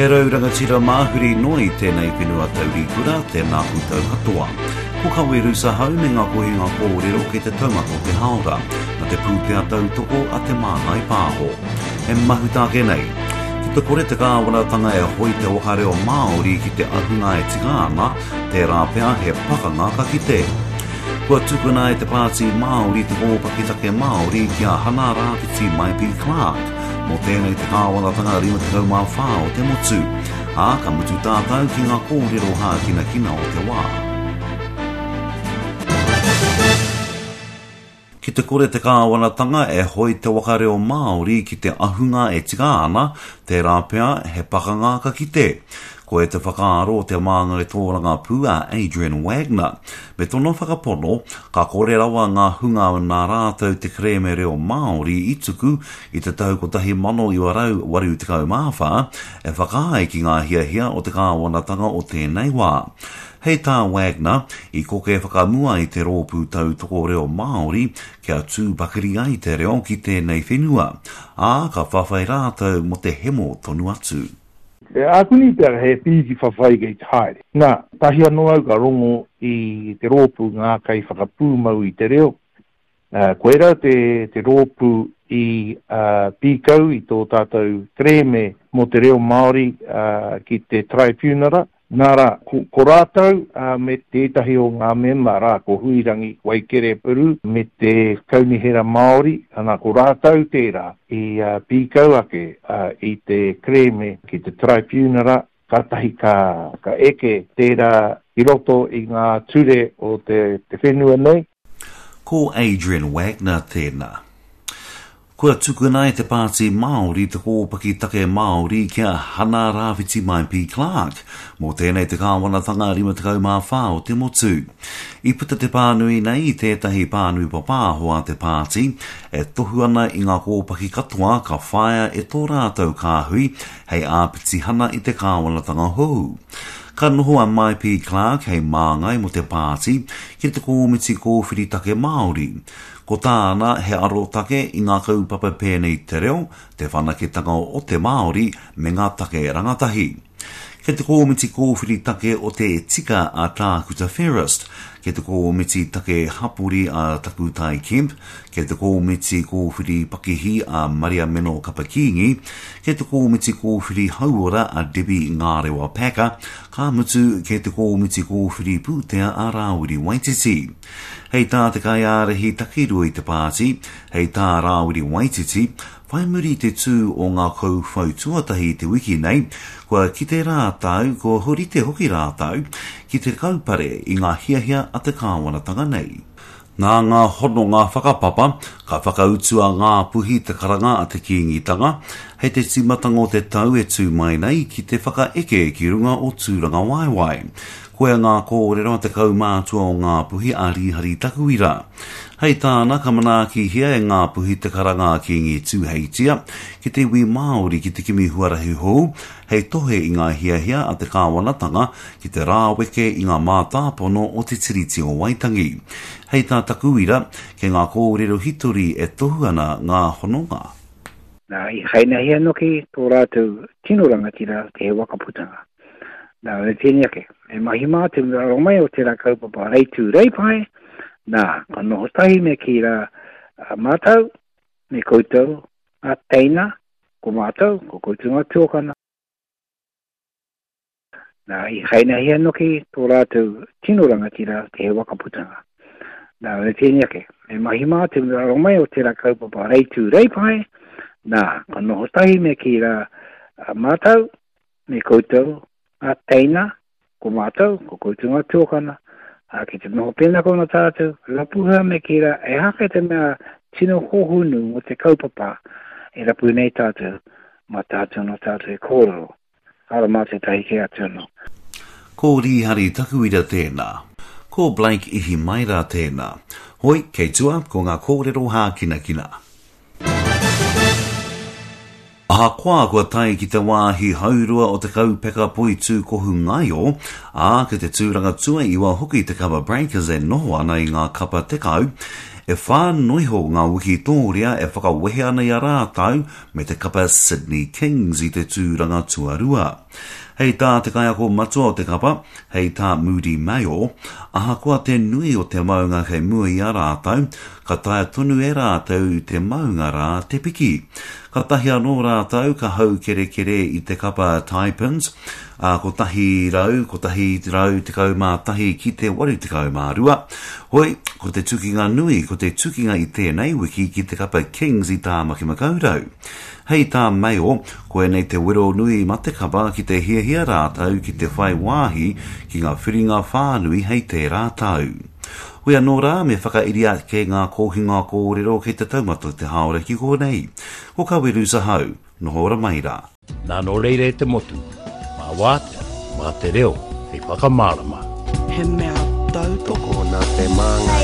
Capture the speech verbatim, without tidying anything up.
E rau rangatira māhuri noa i tēnei whenua taurikura, tēnā koutou katoa. Ko Kawe Rusahau me ngā kohinga kōrero kei te taumata o te hāora, na te pūtea tautoko a Te Māngai Pāho. E mahuta ake nei, ki te kore te kāwanatanga e hoi te waka reo Māori ki te ahunga e tika ana, tērā pea he pakanga ka kite. Kua tukuna e te Pāti Māori te kōpaki take Māori ki a Hana Rāwhiti Maipi Clark, mō tēnei te kāwanatanga rima tekau mā whā o te motu, ā, ka mutu tātou ki ngā kōrero hākinakina o te wā. Ki te kore te kāwanatanga e hoi te waka reo Māori ki te ahunga e tika ana, tērā pea he pakanga ka kite. Koe te whakaaro o te māngai tōrangapū a Adrian Wagner. Me tōna whakapono, ka kore rawa ngā hunga nā rātou te kerēme reo Māori i tuku i te tau kotahi mano iwa rau waru tekau mā whā e whakaae ki ngā hiahia o te kāwanatanga o tēnei wā. Hei tā Wagner, i koke whakamua i te rōpū tautoko reo Māori kia tū pakari ai te reo ki tēnei whenua, ā, ka whawhai rātou mō te hemo tonu atu. E ākuni pea he pīki whawhai kei te haere. Nā, tahi anō au ka rongo i te rōpū ngā kai whakapūmau i te reo. Uh, koera te, te rōpū i uh, pīkau i tō tātou kerēme mō te reo Māori uh, ki te traipunara. Nā rā, ko, ko rātou uh, me tētahi o ngā mema rā, ko Huirangi Waikere Puru me te Kaunihera Māori, ana ko rātou tērā i uh, pīkau ake uh, i te kerēme ki te traipunara, kātahi ka, ka eke tērā i roto i ngā ture o te, te whenua nei. Ko Adrian Wagner tēnā. Kua tukuna e te Pāti Māori te kōpaki take Māori ki a Hana Rāwhiti Maipi Clark, mō tēnei te kāwanatanga rima tekau mā whā o te motu. I puta te pānui nei i tētahi pānui papāho a te pāti, e tohu ana i ngā kōpaki katoa ka whāia e tō rātou kāhui hei āpitihana i te kāwanatanga hou. Ka noho a Maipi Clark hei māngai mō te pāti ki te kōmiti kōwhiri take Māori. Ko tāna he arotake i ngā kaupapa pēnei te reo, te whanaketanga o te Māori me ngā take rangatahi. Kei te kōmiti kōwhiri take o te tika a Tākuta Ferris, kei te kōmiti take hapori a Takutai Kemp, kei te kōmiti kōwhiri pakihi a Maria Meno Kapakīngi, kei te kōmiti kōwhiri hauora a Debbie Ngārewa Packer, ka mutu kei te kōmiti kōwhiri pūtea a Rāwiri Waititi. Hei tā te kaiārahi takirua i te pāti, hei tā Rāwiri Waititi, whai muri te tū o ngā kauwhau tuatahi i te wiki nei, kua kite rātou, kua horite hoki rātou, ki te kaupare i ngā hiahia a te kāwanatanga nei. Nā ngā hononga whakapapa, ka whakautua ngā puhi te karanga a te Kīngitanga, hei te tīmatanga o te tau e tū mai nei ki te whakaeke ki runga o Tūrangawaewae. Koia ngā kōrero a te kaumātua o Ngāpuhi a Rīhari Takuira. Hei tāna ka manaakihia e Ngāpuhi te karanga a Kīngi Tūheitia ki te iwi Māori ki te kimi huarahi hou, hei tohe i ngā hiahia a te kāwanatanga ki te rāweke i ngā mātāpono o te Tiriti o Waitangi. Hei tā Takuira, kei ngā kōrero hitori e tohu ana ngā hononga. Nā, i hainahia noki tō rātou tino rangatira te he wakaputanga. Nā, me tēnei ake, me mahi mātou me aro mai o tērā kaupapa reitū reipae, nā, ka noho tahi me ki rā mātou, me koutou, ngā teina, ko mātou, ko koutou ngā tuakana. Nā, i hainahia noki tō rātou tino rangatira te he wakaputanga. Nā, me tēnei ake, me mahi mātou me aro mai o tērā kaupapa reitū reipae, nā, ka noho tahi me ki rā mātou, me koutou, ngā teina, ko mātou, ko koutou ngā tuakana, ā, ki te noho pēnā kona tātou, rapuha me ki rā, e hake te mea tino hohunu mo te kaupapa e rapu nei tātou, mā tātou no tātou e kōrero. Ara mā te tahi ke atu anō. Ko Rīhari Takuira tēnā. Ko Blake Ihimaera tēnā. Hoi, kei tua, ko ngā kōrero hākinakina. Ahakoa kua tae ki te wāhi haurua o te kaupeka poitū kohu ngaio, ā, ki te tūranga tuaiwa hoki te Cover Breakers e noho ana i ngā kapa tekau, e whā noiho ngā wikitōria e whakawehe ana i a rātou me te kapa Sydney Kings i te tūranga tuarua. Hei tā te kaiako matua o te kapa, hei tā Moody Mayo, ahakoa te nui o te maunga kei mua i a rātou, ka taea tonu e rātou te maunga rā te piki. Katahi anō rātou ka haukerekere i te kapa Taipans, a kotahi rau, kotahi rau tekau mā tahi ki te waru tekau mā rua. Hoi, ko te tukinga nui, ko te tukinga i tēnei wiki ki te kapa Kings i Tāmaki Makaurau. Hei tā Mayo, koinei te wero nui ma te kapa ki te hiahia rātou ki te whai wāhi ki ngā whiringa whānui hei tērā tau. Hoi anō rā, me whakairi ake ngā kohinga kōrero kei te taumata te haora ki konei. Ko Kaweru Sahau, noho ora mai rā. Nā nō reira e te motu, mā wātea, mā te reo, hei whakamārama. He mea tautoko Tokona te māngai.